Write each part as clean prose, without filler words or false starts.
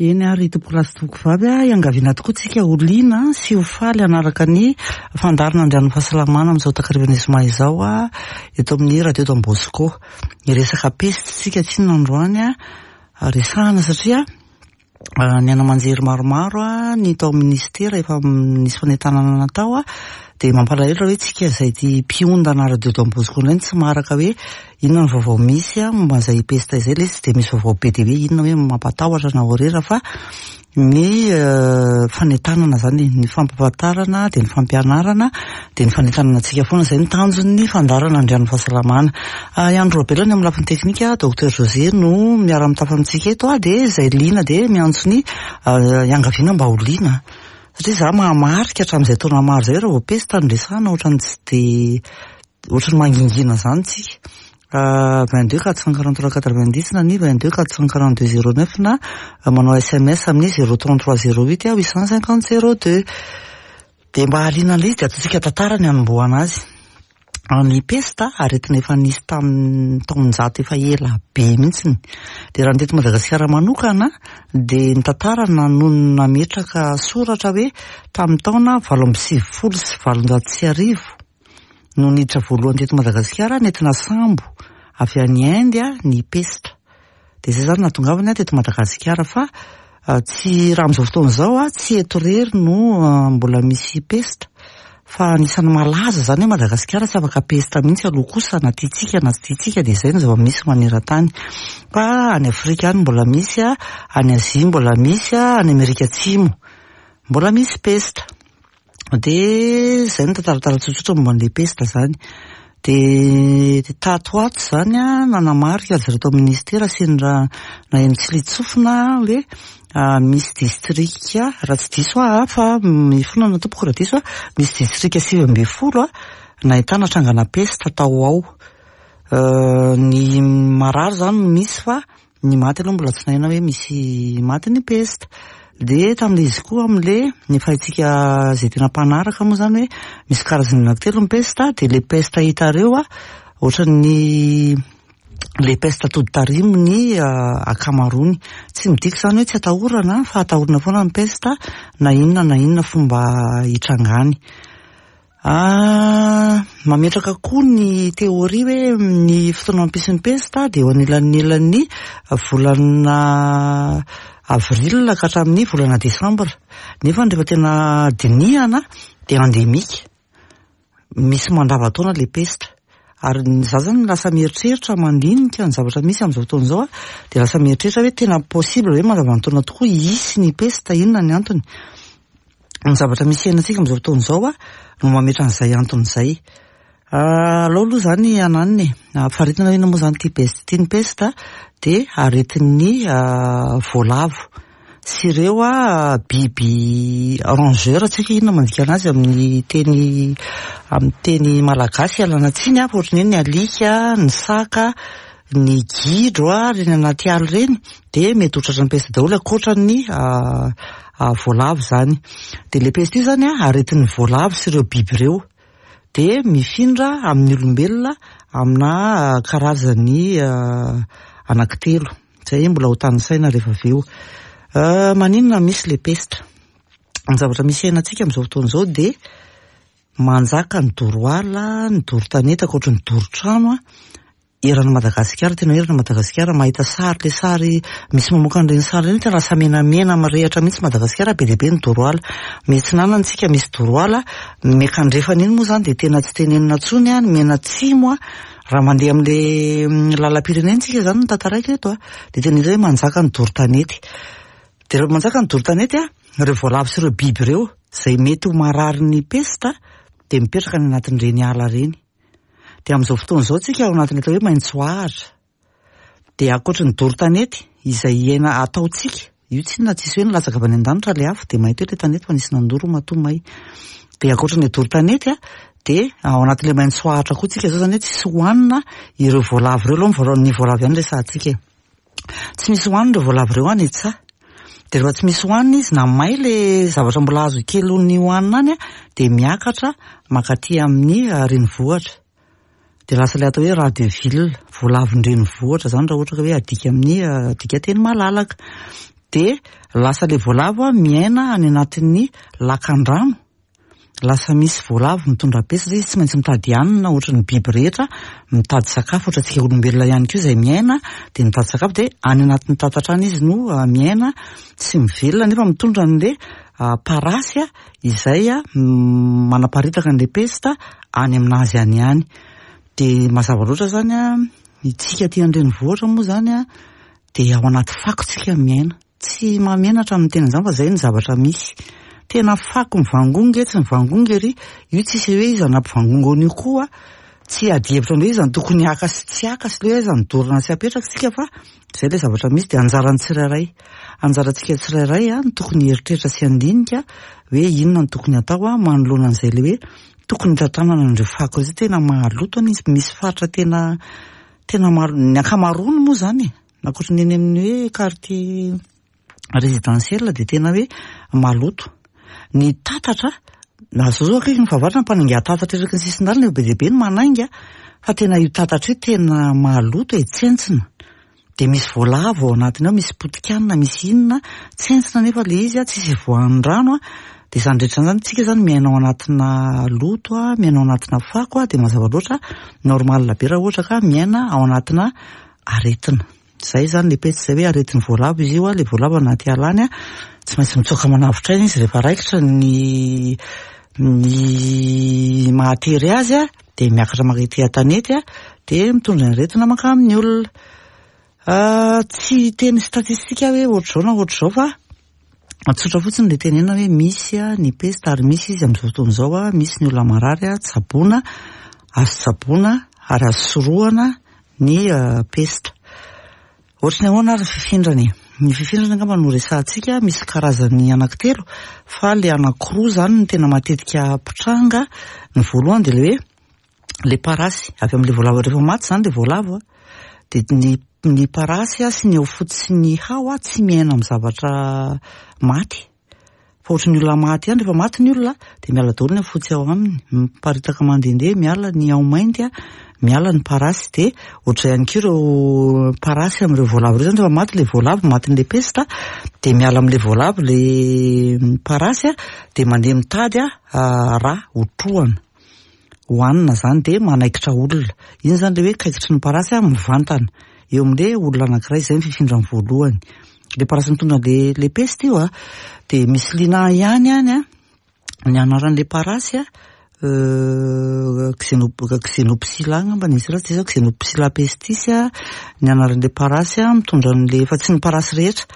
Eny ary tompokolahy sy tompokovavy a, iangaviana tokoa tsika ho liana sy ho faly hanaraka ny fandaharana Andrianin'ny Fahasalamana amin'izao takarivan'ny zoma izao a, eto amin'ny Radio Don Bosco. Hiresaka peste tsika tsinona androany a, resahana satria ny haino aman-jery maromaro a, ny tao amin'ny ministera efa nisy fanentanana natao a, dia mampalahelo raha hoe tsika izay ity mpiondana Radio Don Bosco indray no tsy maharaka hoe inona ny vaovao misy momba an'izay pesta izay. Ilay izy tsy dia misy vaovao be dia hoe inona hoe mampatahotra na horera fa ny fanentanana izany, ny fampahafantarana dia ny fampianarana dia ny fanentanana antsika foana izay no tanjon'ny fandaharana Andrianin'ny Fahasalamana. I Andry Raobelina ny amin'ny lafiny teknika, Docteur José no miara-mitafa amintsika eto dia izay liana dia miantso ny iangaviana mba ho liana. Satria izaho mahamarika hatramin'izay taona maro izay raha vao pesta no resahana ohatran'ny tsy dia ohatran'ny mangingina izany tsika. 22 443 90 na ny 22 442 09 na manao SMS amin'ny 033 08 850 02. Dia mba hahaliana an'ilay izy dia ataontsika tantara ny hanombohana azy. Ny pesta, aretina efa nisy tamin'ny taonjato efa ela be mihitsiny. Dia raha ny teto Madagasikara manokana dia ny tantara no nametraka soratra hoe tamin'ny taona 1898 no niditra voalohany teto Madagasikara nentina sambo avy any Inde ny pesta. Dia izay izany nahatongavany teto Madagasikara fa tsy raha amin'izao fotoana izao tsy eto irery no mbola misy pesta fa anisan'ny malaza izany hoe Madagasikara tsy afaka pesta mihitsy aloha kosa na tiantsika na tsy tiantsika dia izay no zava-misy maneran-tany. Fa any Afrika any mbola misy, any Azia mbola misy, any Amerika Atsimo mbola misy pesta. Dia izay no tantaratara tsotsotra momba an'ilay pesta izany. Dia tato ho ato izany an, nanamarika ry zareo tao amin'ny ministera sendra naheno tsiliantsofina hoe misy distrika, raha tsy diso aho an, fa mifonana tompoko raha diso aho, misy distrika 19 nahitana trangana pesta tao ao. Ny marary izany no misy fa Ny maty aloha mbola tsy naheno hoe misy maty ny pesta. Dia tamin'ilay izy koa amin'ilay ny efa haintsika izay tena mpanaraka moa izany hoe misy karazany anankitelo ny pesta, dia ilay pesta hitareo a, ohatran'ny ilay pesta tody tarimo ny ankamaroany. Tsy midika izany hoe tsy atahorana fa atahorana foana ny pesta na inona na inona fomba hitrangany. Mametraka koa ny théorie hoe ny fotoana mampisy ny pesta dia eo anelanelan'ny volana avril ka hatramin'ny volana desambra. Nefa rehefa tena dinihana dia endémique, misy mandavan-taona ilay pesta. Ary za zany lasa mieritreritra mandinika ny zavatra misy amin'izao fotoana izao dia lasa mieritreritra hoe tena possible ve mandavan-taona tokoa hisy ny pesta, inona ny antony? Ny zavatra misy iainantsika amin'izao fotoana izao no mametra an'izay antony izay. Alao aloha izany ananona e, faritana hoe inona moa izany ity peste ity. Ny peste dia aretin'ny voalavo sy ireo biby rongeur, tsy haiko inona mandika anazy amin'ny teny amin'ny teny malagasy, ialana tsiny fa ohatran'ny hoe ny alika, ny saka, ny gidro ireny anaty ala ireny dia mety ho tratran'ny peste daholo ankoatran'ny voalavo izany. Dia ilay peste io izany aretin'ny voalavo sy ireo biby ireo. Dia mifindra amin'ny olombelona amina karazany anankitelo. Izay mbola ho tanisaina rehefa avy eo. Maninona misy ilay peste? Ny zavatra misy iainantsika amin'izao fotoana izao dia manjaka ny doro ala, ny doro tanety ankoatry ny doro trano. Eran'i Madagasikara, tena hoe eran'i Madagasikara, mahita sary, ilay sary misy mamoaka an'ireny sary ireny, tena lasa menamena mirehitra mihitsy Madagasikara, be dia be ny doro ala. Miatsinanana isika misy doro ala, ny miankandrefana iny moa izany dia tena tsy tenenina intsony, ny mianatsimo, raha mandeha amin'ilay lalam-pirenena isika izany no tantaraiko eto, dia tena hita hoe manjaka ny doro tanety. Dia rehefa manjaka ny doro tanety, ireo voalavo sy ireo biby ireo izay mety ho mararin'ny pesta dia mipetraka any anatin'ireny ala ireny. Dia amin'izao fotoana izao tsika ao anatin'ny atao hoe maitsoahitra. Dia ankoatry ny doro tanety izay iaina ataontsika, io tsinona tsisy hoe nilatsaka avy any an-danitra ilay afo dia may teo ilay tanety fa nisy nandoro matoa may. Dia ankoatry ny doro tanety dia ao anatin'ilay maitsoahitra koa tsika izao, izany hoe tsisy hohanina ireo voalavo ireo aloha, ny voalavo ihany resahantsika e. Tsy misy hohanina ireo voalavo ireo any an-tsaha. Dia rehefa tsy misy hohanina izy na may ilay zavatra mbola azo kely ny hohanina any dia miakatra mankaty amin'ny renivohitra. Dia lasa ilay atao hoe rat de ville, voalavon-drenivohitra izany raha ohatra ka hoe adika amin'ny dikanteny malalaka. Dia lasa ilay voalavo miaina any anatin'ny lakan-drano. Lasa misy voalavo mitondra pesta satria izy tsy maintsy mitady hanina ohatry ny biby rehetra, mitady sakafo ohatra antsika olombelona ihany koa izay miaina dia mitady sakafo dia any anatin'ny tatatra any izy no miaina sy mivelona nefa mitondra an'ilay parasy izay manaparitaka an'ilay pesta any aminazy any ihany. Dia mazava loatra izany isika aty an-drenivohitra moa izany dia ao anaty fako tsika miaina. Tsy mahamenatra ny miteny an'izany fa izay no zavatra misy. Tena fako mivangongo etsy mivangongo ery, io tsisy hoe iza nampivangongo an'io koa, tsy hiady hevitra hoe iza no tokony haka sy tsy haka sy hoe aiza no dorana sy apetraka isika fa izay ilay zavatra misy dia anjaran'ny tsirairay. Anjarantsika tsirairay no tokony hieritreritra sy handinika hoe inona no tokony hatao manoloana an'izay ilay hoe tokony hitantanana an'ireo fako ireo satria tena mahaloto anie izy, misy faritra tena tena maro, ny ankamaroany moa izany e. Ankoatry ny eny amin'ny hoe quartier résidentiel dia tena hoe maloto. Ny tatatra, na zao zao akaiky ny fahavaratra mpanainga tatatra eraky ny sisin-dalana eo be dia be ny manainga fa tena io tatatra io tena maloto e, tsentsina. Dia misy voalavo ao anatiny ao, misy potikanina, misy inona, tsentsina nefa ilay izy tsisy ivoahan'ny rano. Dia izany rehetra izany, tsika izany miaina ao anatina loto, miaina ao anatina fako, dia mazava loatra normal be raha ohatra ka miaina ao anatina aretina. Izay izany ilay pesta izay hoe aretin'ny voalavo izy io, ilay voalavo anaty ala any, tsy maintsy mitsoaka manavotra aina izy rehefa raikitra ny ny mahatery azy dia miakatra mankety an-tanety dia mitondra ny aretina mankamin'ny olona. Tsy hiteny statistika aho hoe ohatr'izao na ohatr'izao fa tsotra fotsiny ilay tenena hoe misy ny pesta ary misy izy amin'izao fotoana izao, misy ny olona marary tsaboina, azo tsaboina ary azo sorohana ny pesta. Ohatry ny ahoana ary ny fifindrany e? Ny fifindrany angamba no resahantsika, misy karazany anankitelo fa ilay anankiroa izany no tena matetika mpitranga. Ny voalohany dia ilay hoe ilay parasy avy amin'ilay voalavo, rehefa maty izany ilay voalavo dia ny ny parasy sy ny haofotsy sy ny hao tsy miaina amin'ny zavatra maty. Fa ohatry ny olona maty ihany, rehefa maty ny olona dia miala daholo ny haofotsy ao aminy, miparitaka mandehandeha, miala ny hao mainty, miala ny parasy. Dia ohatr'izay ihany koa ireo parasy amin'ireo voalavo ireo izany, rehefa maty ilay voalavo, matin'ilay pesta, dia miala amin'ilay voalavo ilay parasy dia mandeha mitady rà hotrohana. Hohanina izany dia manaikitra olona. Iny izany ilay hoe kaikitry ny parasy mivantana eo amin'ilay olona anankiray, izay ny fifindrany voalohany. Ilay parasy mitondra an'ilay ilay pesta io dia misy liana ihany any an, ny anaran'ilay parasy an, Xenopsylla angamba ny izy raha tsy diso aho, Xenopsylla pestis ny anaran'ilay parasy mitondra an'ilay, fa tsy ny parasy rehetra.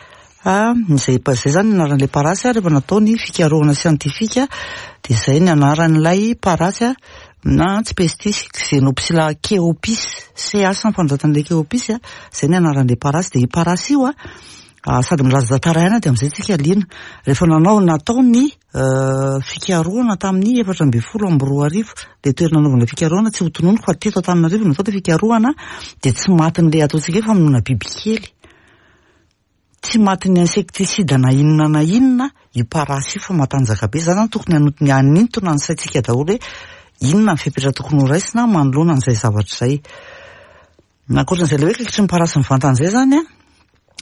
Fa izay izay izany ny anaran'ilay parasy rehefa natao ny fikarohana siantifika dia izay ny anaran'ilay parasy na tsy pestis, Xenopsylla cheopis, CH ny fanoratana ilay cheopis, izay ny anaran'ilay parasy. Dia io parasy io sady milaza tantara ihany dia amin'izay tsika liana. Rehefa nanao natao ny fikarohana tamin'ny 2014 dia toerana nanaovana fikarohana tsy ho tononiko fa teto Antananarivo no natao ilay fikarohana dia tsy matin'ilay ataontsika hoe famonoana bibikely. Tsy matin'ny insecticide na inona na inona io parasy io fa matanjaka be. Izany zany tokony hanotony hanintona ny saintsika daholo hoe inona ny fepetra tokony ho raisina manoloana an'izay zavatra izay. Ny ankoatran'izay ilay hoe kaikitry ny parasy mivantana izay zany an,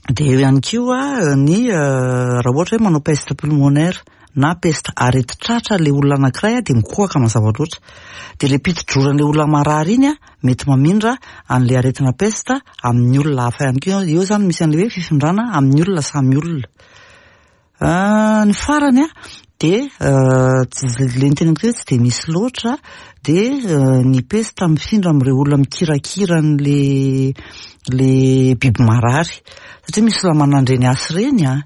dia eo ihany koa ny raha ohatra hoe manao peste pulmonaire na peste aretin-tratra ilay olona anankiray dia mikohaka mazava loatra. Dia ilay piti-droran'ilay olona marary iny an, mety mamindra an'ilay aretina peste amin'ny olona hafa ihany koa. Eo izany misy an'ilay hoe fifindrana amin'ny olona samy olona. Ny farany an, dia ilay noteneniko hoe tsy dia misy loatra dia ny peste mifindra amin'ireo olona mikirakira an'ilay ilay biby marary. Satria misy olona manandreny hasy ireny an,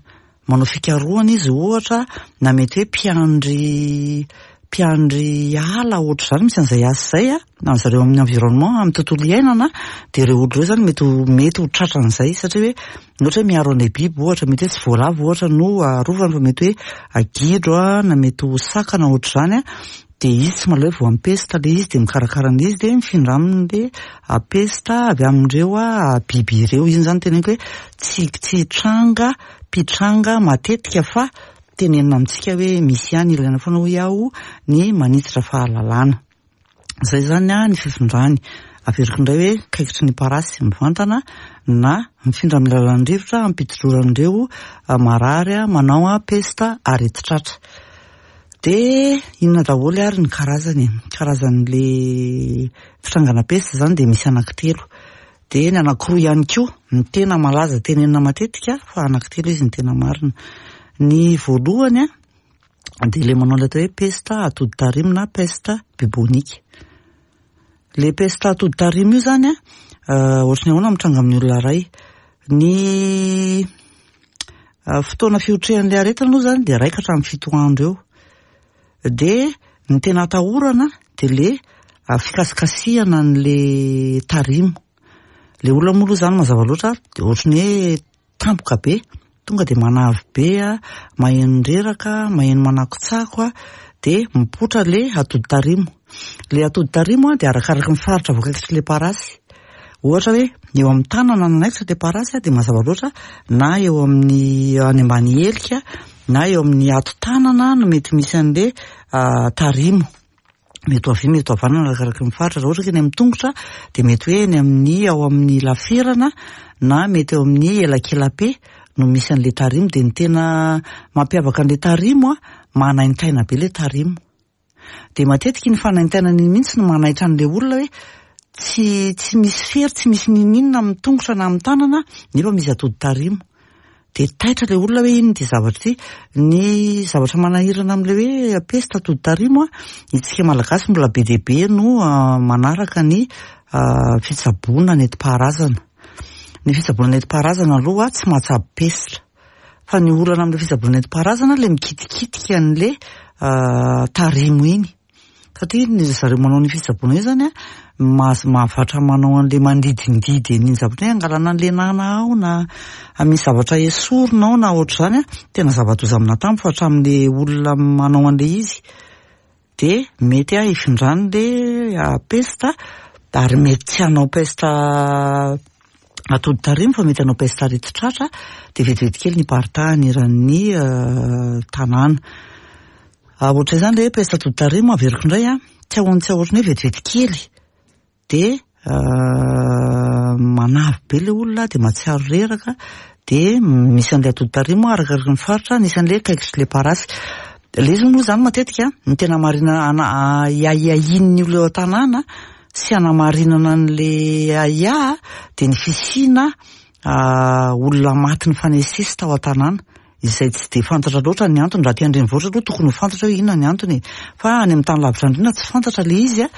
manao fikarohana izy ohatra na mety hoe mpiandry mpiandry ala ohatr'izany misy an'izay asa izay an, na ry zareo amin'ny environnement, amin'ny tontolo iainana, dia ireo olona ireo izany mety ho mety ho tratran'izay satria hoe ohatra hoe miaro an'ilay biby ohatra, mety hoe tsy voalavo ohatra no arovany fa mety hoe gidro an, na mety ho saka na ohatr'izany an, dia izy tsy mahaleo voan'ny pesta ilay izy dia mikarakara an'ilay izy dia mifindra aminy ilay pesta avy amin'ireo biby ireo. Iny izany teneniko hoe tsy tsy tranga mpitranga matetika fa tenenina amintsika hoe misy ihany, ilaina foana hoy aho ny manitatra fahalalana. Izay izany ny fifindrany. Averiko indray hoe kaikitry ny parasy mivantana na mifindra amin'ny alalan'ny rivotra ampidi-droran'ireo marary manao pesta aretin-tratra. Dia inona daholo ary ny karazany e? Karazan'le fitrangana pesta izany dia misy anankitelo. Dia ny anankiroa ihany koa no tena malaza tenenina matetika fa anankitelo izy no tena marina. Ny voalohany dia ilay manao ilay atao hoe pesta atody tarimo na peste bubonique. Ilay pesta atody tarimo io izany ohatry ny ahoana mitranga amin'ny olona iray. Ny fotoana fiotrehan'ilay aretina aloha izany dia iray ka hatramin'ny 7 andro eo. Dia ny tena atahorana dia ilay fikasikasihana an'ilay tarimo. Ilay olona moa aloha izany mazava loatra dia ohatry ny hoe tampoka be, tonga dia manavy be, maheno reraka, maheno manakotsako, dia mipoitra ilay atody tarimo. Ilay atody tarimo dia arakaraky ny faritra voakaikitr'ilay parasy. Ohatra hoe eo amin'ny tanana no nanaikitra ilay parasy dia mazava loatra na eo amin'ny any ambany helika na eo amin'ny ato-tanana no mety misy an'ilay tarimo. Mety ho havia, mety ho havanana arakaraky ny faritra. Raha ohatra ka eny amin'ny tongotra dia mety hoe eny amin'ny ao amin'ny laferana na mety eo amin'ny elakelape no misy an'ilay tarimo. Dia ny tena mampiavaka an'ilay tarimo, manaintaina be ilay tarimo. Dia matetika iny fanaintainana iny mihitsy no manaitra an'ilay olona hoe tsy misy fery, tsy misy n'inon'inona amin'ny tongotra na amin'ny tanana nefa misy atody tarimo. Dia taitra ilay olona hoe inona ity zavatra ity. Ny zavatra manahirana amin'ilay hoe pesta atody tarimo, isika Malagasy mbola be dia be no manaraka ny fitsaboana nentim-paharazana. Ny fitsaboana nentim-paharazana aloha tsy mahatsabo pesta. Fa ny olana amin'ilay fitsaboana nentim-paharazana ilay mikitikitika an'ilay tarimo iny. Satria ny zareo manao ny fitsaboana io izany an, mahavatra manao an'ilay mandidindidy an'iny zavatra iny, angalana an'ilay nana ao na misy zavatra esorina ao na ohatr'izany an, tena zava-doza amin'atambo fa hatramin'ilay olona manao an'ilay izy. Dia mety hifindran'ilay pesta ary mety tsy hanao pesta atody tarimo fa mety hanao pesta aretin-tratra dia vetivety kely ny hiparitahany eran'ny tanàna. Ohatr'izay izany ilay hoe pesta atody tarimo averiko indray an, tsy ahoany tsy ahoany hoe vetivety kely. Dia manavy be ilay olona dia mahatsiaro reraka dia misy an'ilay atody tarimo arakaraky ny faritra nisy an'ilay kaikitry ilay parasy. Ilay izy moa izany matetika ny tena marina ahiahian'ny olona eo an-tanàna sy hanamarinana an'ilay ahiahy dia ny fisiana olona maty nifanesisesy tao an-tanàna. Izay tsy dia fantatra loatra ny antony, raha aty an-drenivohitra aloha tokony ho fantatra hoe inona ny antony e, fa any amin'ny tany lavitra andriana tsy fantatra ilay izy a,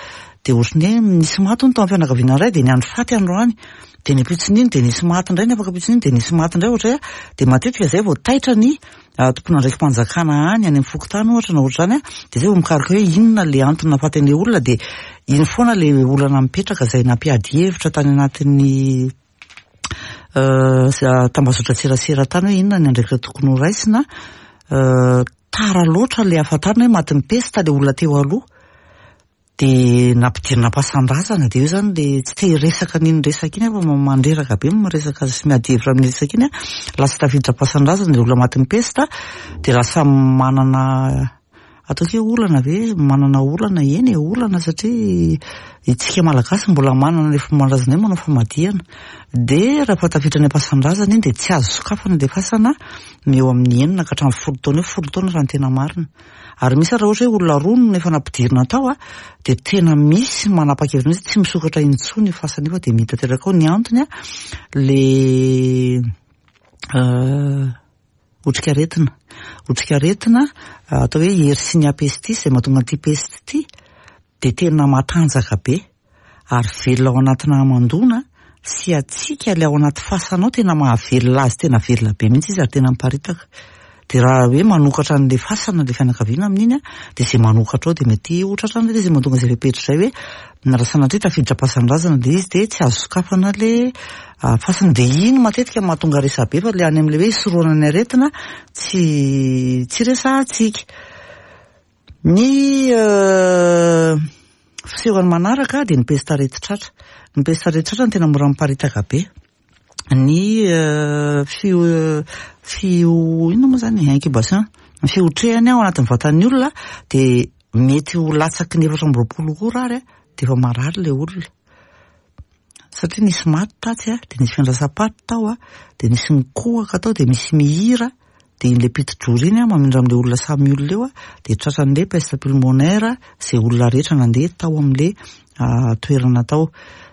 dia ohatran'ny hoe nisy maty hono tao amin'ny fianakaviana iray dia niandry faty androany, dia ny ampitson'iny dia nisy maty indray, ny afaka ampitson'iny dia nisy maty indray ohatra hoe, dia matetika izay vao taitra ny tompon'andraiki-panjakana any, any amin'ny fokontany ohatra na ohatr'izany a, dia izay vao mikaroka hoe inona ilay antony nahafaty an'ilay olona, dia iny foana ilay olana mipetraka izay nampiady hevitra tany anatin'ny tambazotran-tserasera tany hoe inona ny andraikitra tokony ho raisina. Tara loatra ilay hafantarana hoe matin'ny pesta ilay olona teo aloha. Dia nampidirina am-pasan-drazana, dia eo izany ilay tsy te hiresaka an'iny resaka iny aho fa mandreraka be ny miresaka sy miady hevitra amin'ny resaka iny. Lasa tafiditra am-pasan-drazana ilay olona matin'ny pesta, dia lasa manana Ataoko hoe olana ve? Manana olana, eny e, olana satria isika Malagasy mbola manana ilay fomban-drazana hoe manao famadihana. Dia rehefa tafiditra any am-pasan-drazana iny dia tsy azo sokafana ilay fasana eo amin'ny 6 ka hatramin'ny 10 taona eo, 10 taona raha ny tena marina. Ary misy ary raha ohatra hoe olona roa no efa nampidirina tao dia tena misy manapa-kevitra mihitsy tsy misokatra intsony io fasana io fa dia mihidy tanteraka ao. Ny antony ilay otrikaretina. Otrikaretina atao hoe Yersinia pestis izay mahatonga an'ity peste ity dia tena matanjaka be ary velona ao anatina hamandoana sy hatsiaka ilay ao anaty fasana ao, tena mahavelona azy, tena velona be mihitsy izy ary tena miparitaka. Dia raha hoe manokatra an'ilay fasana ilay fianakaviana amin'iny dia izay manokatra ao dia mety ho tratran'ilay izy, mahatonga izay fepetra izay hoe raha sanatria tafiditra am-pasan-drazana ilay izy dia tsy azo sokafana ilay fasana. Dia iny matetika no mahatonga resabe fa ilay any amin'ilay hoe hisorohana ny aretina tsy tsy resahantsika. Ny fisehon'ny manaraka dia ny pesta aretin-tratra. Ny pesta aretin-tratra no tena mora miparitaka be. Ny fio fio inona moa izany e? Incubation. Ny fiotrehany ao anatin'ny vatan'ny olona dia mety ho latsaky ny 24 ora ary dia efa marary ilay olona. Satria nisy maty tatsy a, dia nisy fiandrasam-paty tao a, dia nisy nikohaka tao, dia misy mihira, dia iny ilay piti-drora iny a, mamindra amin'ilay olona samy olona eo a, dia tratran'ilay peste pulmonaire izay olona rehetra nandeha tao amin'ilay toerana tao.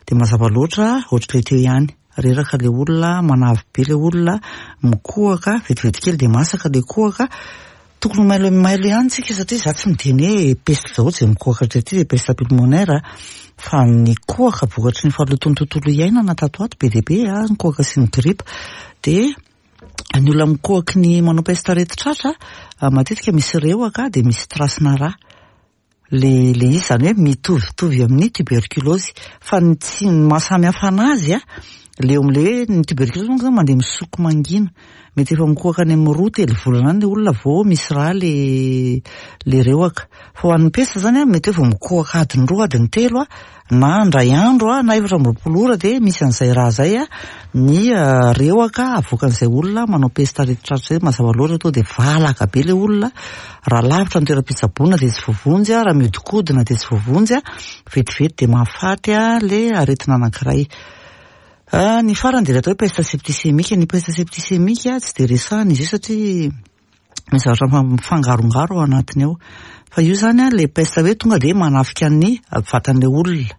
Dia mazava loatra, ohatr'ilay teo ihany, reraka ilay olona, manavy be ilay olona, mikohaka, vetivety kely dia masaka ilay kohaka. Tokony ho mailo mailo ihany tsika satria za tsy miteny hoe peste daholo izay mikohaka hatraty dia peste pulmonaire a, fa ny kohaka vokatry ny fahalotoan'ny tontolo iainana tato ho ato be dia be a, ny kohaka sy ny gripa. Dia ny olona mikohaky ny manao peste aretin-tratra matetika misy rehoka dia misy trace-na rà. Le le izy izany hoe mitovitovy amin'ny tuberculose fa ny tsy ny maha samy hafa anazy a, le eo am'le hoe ny tuberculose manko zany mandeha misoko mangina, mety efa mikohaka any amin'ny roa telo volana any le olona vao misy rà le le rehoka, fa ho an'ny pesta zany a mety hoe vao mikohaka adiny roa adiny telo a na indray andro na 24 ora dia misy an'izay raha izay ny rehoka avoakan'izay olona manao pesta aretin-tratra izay. Mazava loatra tonga dia valaka be ilay olona, raha lavitra ny toeram-pitsaboana dia tsy voavonjy, raha mihodinkodina dia tsy voavonjy, vetivety dia mahafaty ilay aretina anankiray. Ny farany dia ilay atao hoe peste septicémique. Ny peste septicémique tsy dia resahana izy io satria misy zavatra mifangarongaro ao anatiny ao. Fa io zany an, ilay peste hoe tonga dia manafika ny vatan'ilay olona.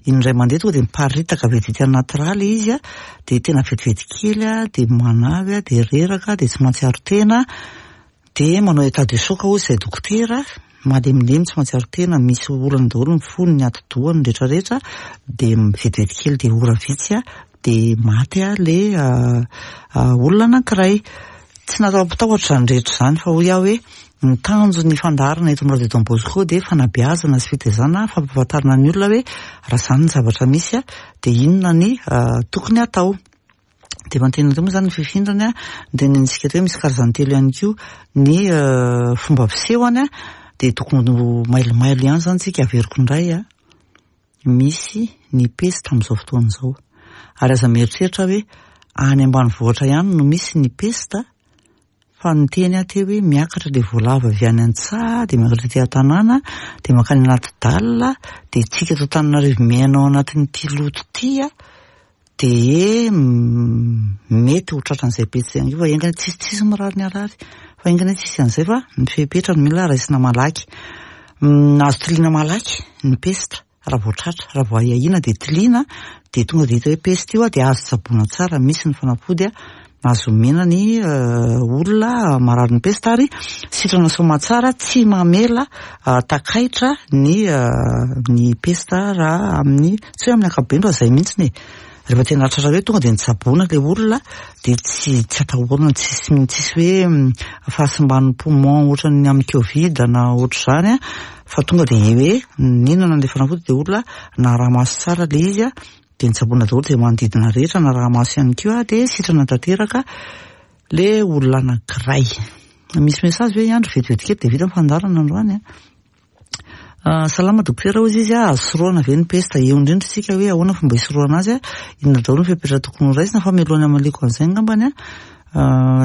Indray mandeha tonga dia miparitaka vetivety anaty rà ilay izy an, dia tena vetivety kely an, dia manavy an, dia reraka, dia tsy mahatsiaro tena, dia manao état de choc hozy izay dokotera, malemilemy tsy mahatsiaro tena, misy olana daholo ny fony, ny atidohany, ny rehetrarehetra, dia vetivety kely dia ora vitsy an, dia maty ilay olona anankiray. Tsy natao hampitahotra izany rehetra izany fa hoy aho hoe ny tanjon'ny fandaharana eto amin'ny Radio Don Bosco dia fanabeazana sy fitaizana, fampahafantarana ny olona hoe raha izany ny zavatra misy dia inona ny tokony hatao. Dia efa nitenenina teo moa izany ny fifindrany, nitenenintsika teo hoe misy karazany telo ihany koa ny fomba fisehony dia tokony ho mailomailo ihany izany isika, averiko indray. Misy ny pesta amin'izao fotoana izao. Ary aza mieritreritra hoe any ambanivohitra ihany no misy ny pesta fa niteny aho teo hoe miakatra ilay voalavo avy any an-tsaha dia miakatra aty an-tanàna dia mankany anaty dalle dia tsika eto Antananarivo miaina ao anatin'ity loto ity dia mety ho tratran'izay pesta ihany koa fa enga anie tsisy tsisy mirary ny harary fa enga anie tsisy an'izay fa ny fepetra no mila raisina malaky. Azo tiliana malaky ny pesta raha vao tratra, raha vao ahiahiana dia tiliana dia tonga dia hita hoe pesta io dia azo tsaboina tsara, misy ny fanafody azo omena ny olona marary ny pesta ary sitrana soamatsara tsy mamela takaitra ny ny pesta raha amin'ny tsy hoe amin'ny ankapobeny fa izay mihitsy e. Rehefa tena tratra hoe tonga dia nitsaboana ilay olona dia tsy tsy atahorana tsisy tsisy hoe fahasimban'ny poumon ohatran'ny amin'ny covid na ohatr'izany fa tonga dia hoe nihinana ilay fanafody dia olona naraha-maso tsara ilay izy dia nitsaboana daholo izay manodidina rehetra naraha-maso ihany koa dia sitrana tanteraka ilay olona anankiray. Misy message ve Andry vetivety kely dia vita ny fandaharana androany a. Salama dokotera hozy izy a, azo sorohana ve ny pesta? Eo indrindra isika hoe ahoana fomba hisorohana azy a, inona daholo ny fepetra tokony ho raisina fa mialohan'ny hamaliako an'izay angambany a,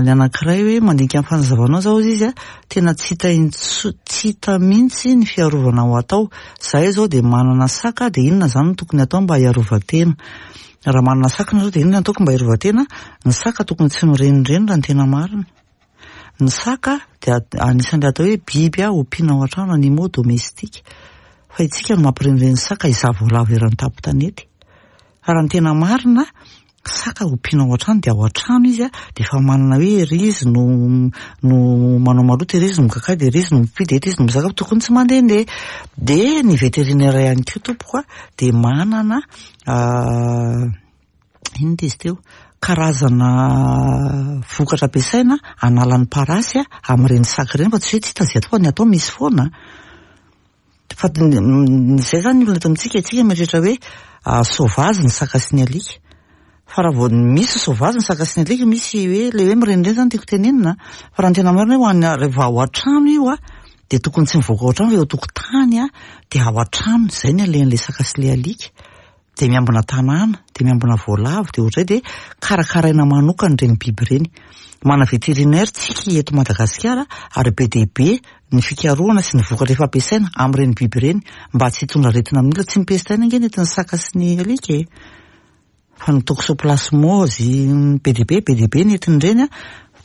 ny anankiray hoe mandinika ny fanazavanao zao hozy izy a, tena tsy hita intso- tsy hita mihitsy ny fiarovana ho atao. Zahay zao dia manana saka dia inona zany no tokony atao mba hiarovan-tena? Raha manana saka nareo dia inona no ataoko mba hiarovan-tena? Ny saka tokony tsy mirenireny raha ny tena marina. Ny saka dia anisan'ilay atao hoe biby ompiana ao an-trano, animaux domestiques. Fa isika no mampirenireny saka hizaha voalavo eran'ny tampon-tanety. Fa raha ny tena marina, saka ompiana ao an-trano dia ao an-trano izy dia efa manana hoe ery izy no no manao maloto, ery izy no mikakà, dia ery izy no mipy, dia eto izy no mizaka, tokony tsy mandehandeha. Dia ny vétérinaire ihany koa tompoko dia manana inona izy teo, karazana vokatra ampiasaina hanala ny parasy amin'ireny saka ireny fa tsy hoe tsy hita izay atao fa ny atao misy foana. Fa izay izany ny olona eto amintsika, isika mieritreritra hoe sauvage ny saka sy ny alika. Fa raha vao misy sauvage ny saka sy ny alika, misy hoe ilay hoe mirenireny izany tiako tenenina, fa raha ny tena marina hoe ho an'ny rehefa ao an-trano io dia tokony tsy mivoaka ao an-trano fa eo an-tokotany dia ao an-trano, izay ny alehan'ilay saka sy ilay alika. Dia miambina tanàna, dia miambina voalavo, dia ohatr'izay dia karakaraina manokana ireny biby ireny. Manana vétérinaire tsika eto Madagasikara ary be dia be ny fikarohana sy ny vokatra efa ampiasaina amin'ireny biby ireny mba tsy hitondra aretina amin'ny olona. Tsy ny peste ihany ange no entin'ny saka sy ny alika e! Fa ny toxoplasmose, be dia be, be dia be ny entin'ireny an,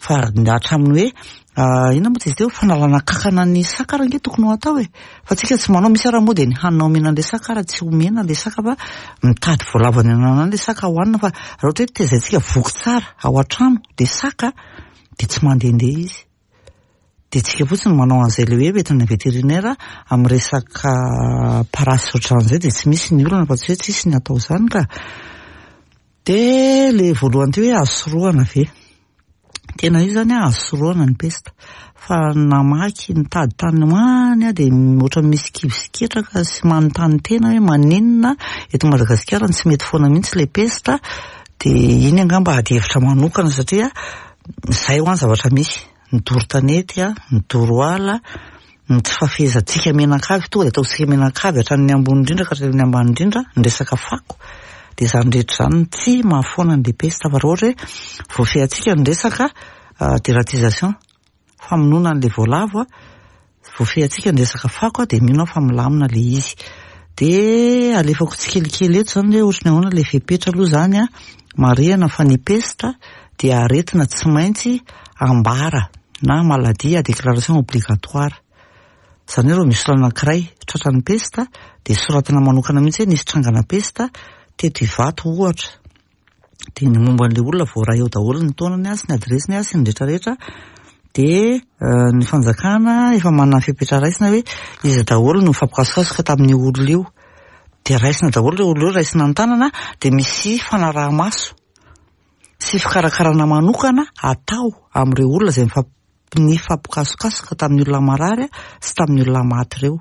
fa hatramin'ny hoe inona moa izy teo, fanalana kankana ny saka ary ange tokony ho atao e! Fa tsika tsy manao, misy ary moa dia ny hanina omena an'ilay saka ary tsy omena ilay saka fa mitady voalavo any an'ala any ilay saka hohanina fa raha ohatra hoe tezaintsika voky tsara ao an-trano ilay saka dia tsy mandehandeha izy. Dia tsika fotsiny manao an'izay ilay hoe entina vétérinaire amin'ny resaka parasy ohatran'izay dia tsy misy ny olana fa tsy hoe tsisy ny atao izany ka. Dia ilay voalohany teo hoe azo sorohana ve? Tena io izany azo sorohana ny pesta. Fa namaky nitady tany ho any aho dia ohatran'ny misy kivy sy ketraka sy manontany tena hoe maninona eto Madagasikara no tsy mety foana mihitsy ilay pesta. Dia iny angamba adihevitra manokana satria izay hoa ny zavatra misy. Ny doro tanety, ny doro ala, ny tsy fahafehezantsika mianakavy, tonga dia ataontsika mianakavy hatramin'ny ambony indrindra ka hatramin'ny ambany indrindra, ny resaka fako, dia izany rehetra izany no tsy mahafoana ny pesta. Fa raha ohatra hoe voafehintsika ny resaka dératisation, famonoana an'ilay voalavo, voafehintsika ny resaka fako dia mino aho fa milamina ilay izy. Dia alefako tsikelikely eto izany hoe ohatry ny ahoana ilay fepetra aloha izany an, marihana fa ny pesta dia aretina tsy maintsy ambara na maladie à déclaration obligatoire. Izany hoe raha misy olona anankiray tratran'ny pesta dia soratana manokana mihitsy hoe nisy trangana pesta teto Ivato ohatra. Dia ny momba an'ilay olona voaray ao daholo ny taonany sy ny adiresiny sy ny rehetra rehetra. Dia ny fanjakana efa manana ny fepetra raisina hoe iza daholo no nifampikasokasoka tamin'io olona io. Dia raisina daholo ireo olona ireo, raisina an-tanana, dia misy fanaraha-maso sy fikarakarana manokana atao amin'ireo olona izay nifampikasokasoka tamin'ny olona marary sy tamin'ny olona maty ireo.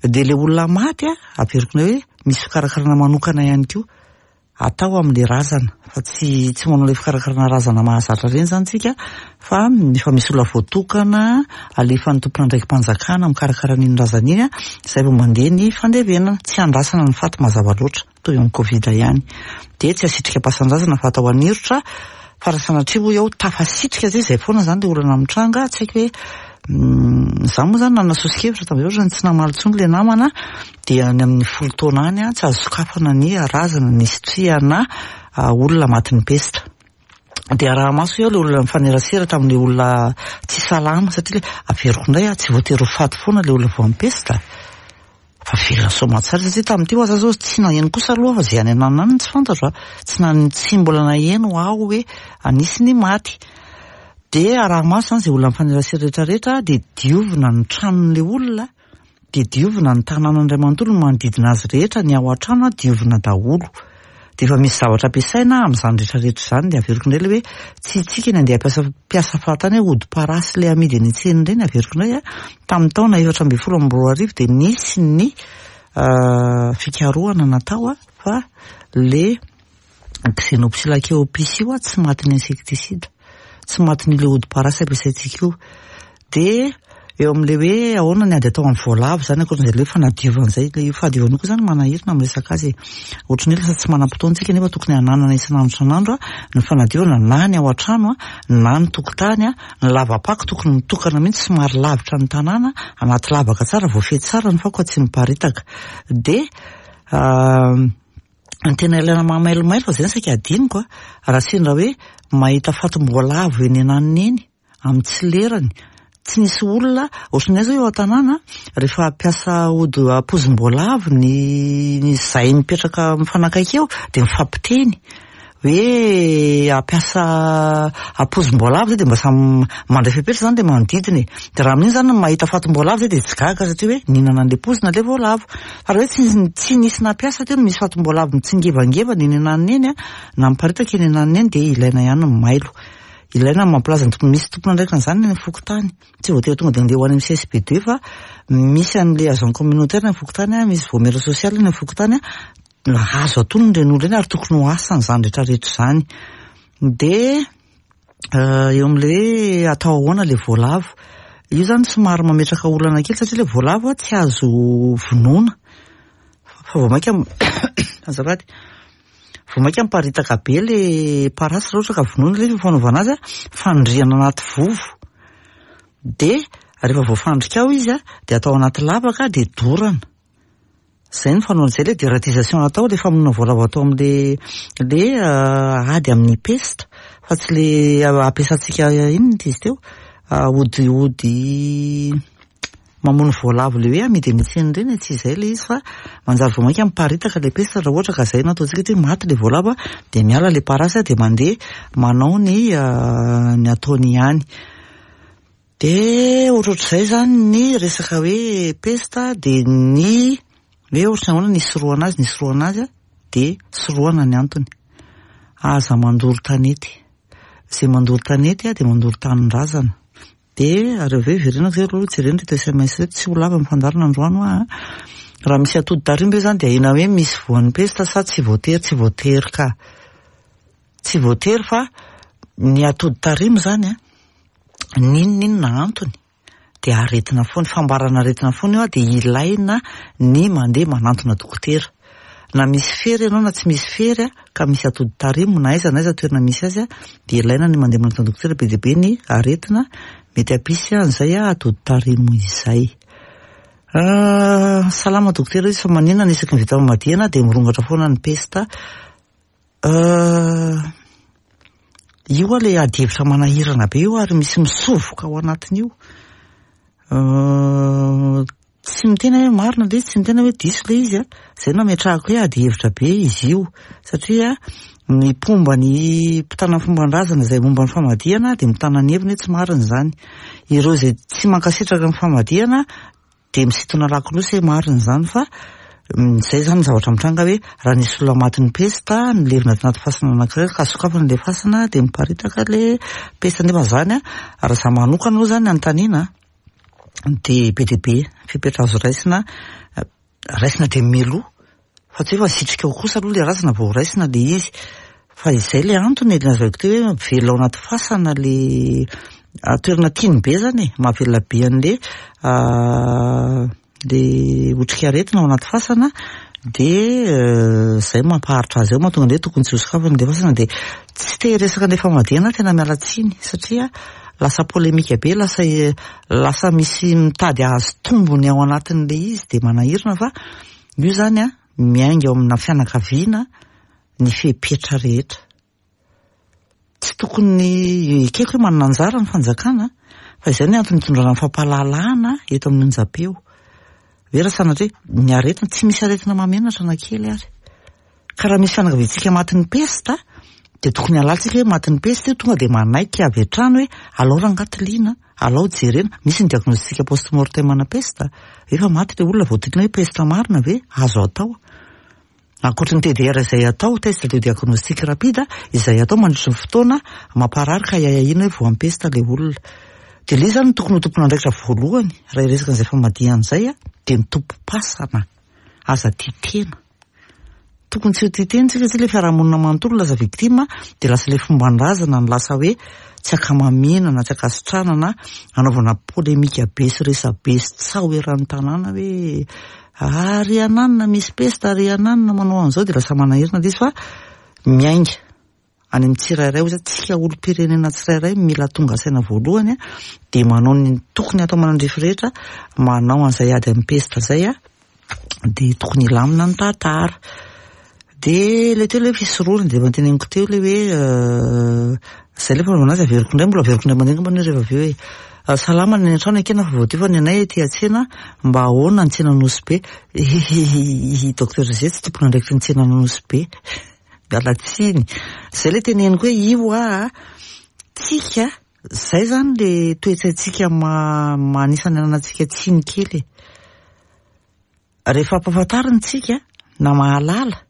Dia ilay olona maty, averiko indray hoe misy fikarakarana manokana ihany koa atao amin'ilay razana, fa tsy tsy manao ilay fikarakarana razana mahazatra ireny izany tsika fa efa misy olona voatokana alefan'ny tompon'andraiki-panjakana mikarakara an'iny razana iny, izay vao mandeha ny fandevenana, tsy andrasana ny faty mazava loatra, toy amin'ny covid ihany. Dia tsy asitrika am-pasan-drazana fa atao anirotra, fa raha sanatria hoy aho tafasitrika zay, izay foana izany ilay olana mitranga, tsy haiko hoe izaho moa izany nanana soso-kevitra tamin'izay ohatran'ny tsy namaly intsony ilay namana, dia any amin'ny 10 taona any tsy azo sokafana ny razana nisitrihana olona matin'ny pesta. Dia araha-maso eo ilay olona nifanerasera tamin'ilay olona tsy salama, satria ilay averiko indray aho, tsy voatery ho faty foana ilay olona voan'ny pesta, fa velona soamantsara satria tamin'ity ho'a za zao tsy naheno kosa aloha fa izay any ananona any no tsy fantatro a, tsy na-, tsy mbola naheno aho hoe anisy ny maty. Dia araha-maso izany izay olona nifanerasera rehetra rehetra, dia diovina ny tranon'ilay olona, Dia diovina ny tanàna iray manontolo, ny manodidina azy rehetra, ny ao an-trano diovina daholo. Dia efa misy zavatra ampiasaina amin'izany rehetra rehetra izany. Dia averiko indray ilay hoe tsy isika ny andeha hampiasa mpiasa fahatany hoe hodi-parasy ilay amidy eny an-tsena ireny, averiko indray a, tamin'ny taona 2014 dia nisy ny fikarohana natao fa ilay Xenopsylla cheopis io tsy matin'ny insecticide, tsy matin'ilay hodi-parasy ampiasaintsika io. Dia eo amin'ilay hoe ahoana ny ady atao amin'ny voalavo izany, ankoatran'izay ilay hoe fanadiovana izay, ilay fahadiovana io koa izany manahirana amin'ny resaka azy e. Ohatran'ny hoe lasa tsy manam-potoana isika nefa tokony hananana isan'andro isan'andro ny fanadiovana na ny ao an-trano na ny tokotany, ny lava-pako tokony mitokana mihitsy somary lavitra ny tanàna, anaty lavaka tsara, voafehy tsara ny fako fa tsy miparitaka. Dia Ny tena ilaina mahamailomailo fa zay no saika adinoko a, raha sendra hoe mahita fatim-boalavo eny ananona eny, amin'ny tsy lerany, tsy misy olona, ohatran'ny aiza eo an-tanàna, rehefa hampiasa ody pozim-boalavo ny izay mipetraka mifanakaiky eo dia mifampiteny hoe hampiasa pozim-boalavo zay dia mba samy mandray fepetra izany ilay manodidina e. Dia raha amin'iny izany mahita fatim-boalavo zay dia tsy gaga satria hoe nihinana an'ilay pozina ilay voalavo. Fa raha hoe tsy tsy nisy nampiasa teo no misy fatim-boalavo mitsingevangevana eny ananona eny na miparitaka eny ananona eny dia ilaina ihany ny mailo. Ilaina ny mampilaza ny tompon-, misy tompon'andraikitra an'izany any amin'ny fokontany. Tsy voatery tonga dia andeha ho any amin'ny CSB deux fa misy an'ilay agent communautaire any amin'ny fokontany, misy vaomiera sosialy any amin'ny fokontany, azo atonina ireny olona ireny ary tokony ho asany izany rehetra rehetra izany. Dia eo amin'ilay hoe atao ahoana ilay voalavo. Io izany somary mametraka olana kely satria ilay voalavo tsy azo vonoina fa vao mainka azafady, vao mainka miparitaka be ilay parasy raha ohatra ka vonoina ilay izy fa fanaovana azy fandrihana anaty vovo. Dia rehefa voafandrika ao izy dia atao anaty lavaka dia dorana. Izay no fanaovana, izay ilay dératisation atao, ilay famonoana voalavo atao amin'ilay ilay ady amin'ny pesta fa tsy ilay ampiasantsika inona ity izy teo, ody ody mamono voalavo ilay hoe amidy eny an-tsena ireny e, tsy izay ilay izy fa manjary vao mainka miparitaka ilay pesta raha ohatra ka izay no ataontsika hoe maty ilay voalavo dia miala ilay parasy dia mandeha manao ny ny ataony ihany. Dia ohatrohatr'izay izany ny resaka hoe pesta dia ny hoe ohatran'ny ahoana ny hisorohana azy, ny hisorohana azy dia sorohana ny antony. Aza mandoro tanety. Izay mandoro tanety dia mandoro tanindrazana. Dia ary avy eo hiverenako izay aloha jerena ireto sms ireto, tsy ho lava ny fandaharana androany hoa an. Raha misy atody tarimo ve izany dia ahiana hoe misy voan'ny pesta sa tsy voatery? Tsy voatery ka. Tsy voatery fa ny atody tarimo izany an, n'inon'inona antony dia aretina foana, fambarana aretina foana io dia ilaina ny mandeha manantona dokotera. Na misy fery ianao na tsy misy fery ka misy atody tarimo na aiza na aiza toerana misy azy dia ilaina ny mandeha manantona dokotera, be dia be ny aretina mety hampisy an'izay atody tarimo izay. Salama dokotera izy fa maninona ny isaky ny vita famadihana dia mirongatra foana ny pesta? Euh, io aloha ilay adihevitra manahirana be io ary misy misovoka ao anatin'io. Euh, tsy miteny hoe marina ilay izy, tsy miteny hoe diso ilay izy an, izay no ametrahako hoe adihevitra be izy io satria ny mpomba ny mpitana ny fomban-drazana izay momba ny famadihana dia mitana ny heviny hoe tsy marina izany. Ireo izay tsy mankasitraka ny famadihana Dia misintona lakolosy hoe marina izany fa izay izany ny zavatra mitranga hoe raha nisy olona matin'ny pesta nilevina tanaty fasana anankiray ka sokafana ilay fasana dia miparitaka ilay pesta nefa izany an, raha izaho manokana aloha izany anontaniana dia be dia be fepetra azo raisina, raisina dia mialoha Fa tsy hoe fa asitrika ao kosa aloha ilay razana vao raisina ilay izy. Fa izay ilay antony e, lazaiko teo hoe mivelona ao anaty fasana ilay toerana tiany be izany e, mahavelona be an'ilay ilay otrikaretina ao anaty fasana dia izay mampaharitra azy ao mahatonga an'ilay hoe tokony tsy ho sokafana ilay fasana dia tsy te hiresaka an'ilay famadihana aho tena miala tsiny satria lasa polemika be, lasa lasa misy mitady hahazo tombony ao anatin'ilay izy dia manahirana fa Io izany an, miainga ao amina fianakaviana ny fepetra rehetra. Tsy tokony, ekeko hoe manana anjara ny fanjakana, fa izay ny antony itondrana ny fampahalalana eto amin'ny onjam-peo. Hoe raha sanatria, ny aretina, tsy misy aretina mahamenatra na kely ary. Ka raha misy fianakaviantsika matin'ny pesta, dia tokony halantsika hoe matin'ny pesta io, tonga dia manaiky avy hatrany hoe alao rangahy tiliana. Alao jerena, misy ny diagnostic post mortem ana pesta, efa maty ilay olona vao tiliana hoe pesta marina ve? Azo atao. Ankoatry ny TDR izay atao, test de diagnostic rapide, izay atao mandritry ny fotoana mamparary ka ahiahiana hoe voan'ny pesta ilay olona. Dia ilay izy izany no tokony ho tompon'andraikitra voalohany raha hiresaka an'izay famadihana izay dia ny tompom-pasana. Aza tia tena. Tokony tsy ho tia tena tsika satria ilay fiarahamonina manontolo lasa victime dia lasa ilay fomban-drazana no lasa hoe tsy ankamamiana na tsy ankasitrahana na anaovana polemika be sy resabe sy tsaho eran'ny tanàna hoe ary ananona misy pesta ary ananona manao an'izao dia lasa manahirana ilay izy fa miainga any amin'ny tsirairay hoy za, tsika olom-pirenena tsirairay mila tonga saina voalohany dia manao ny tokony atao manandrify rehetra manao an'izay ady amin'ny pesta izay dia tokony hilamina ny tantara. Dia ilay teo ilay fisorohana dia efa noteneniko teo ilay hoe izay ilay fanaovana azy averiko indray mbola averiko indray mandeha angamba anie rehefa avy eo e. Salama ny any an-trano ekena fa voadio fa ny anay aty an-tsena mba ahoana ny tsena Nosy Be. I Docteur Zé tsy tompon'andraikitry ny tsena Nosy Be. Miala tsiny. Zay le teneniko hoe io aa, tsika, zay zany le toe-tsaintsika ma- anisan'ny ananantsika tsiny kely e. Rehefa ampahafantarina tsika na mahalala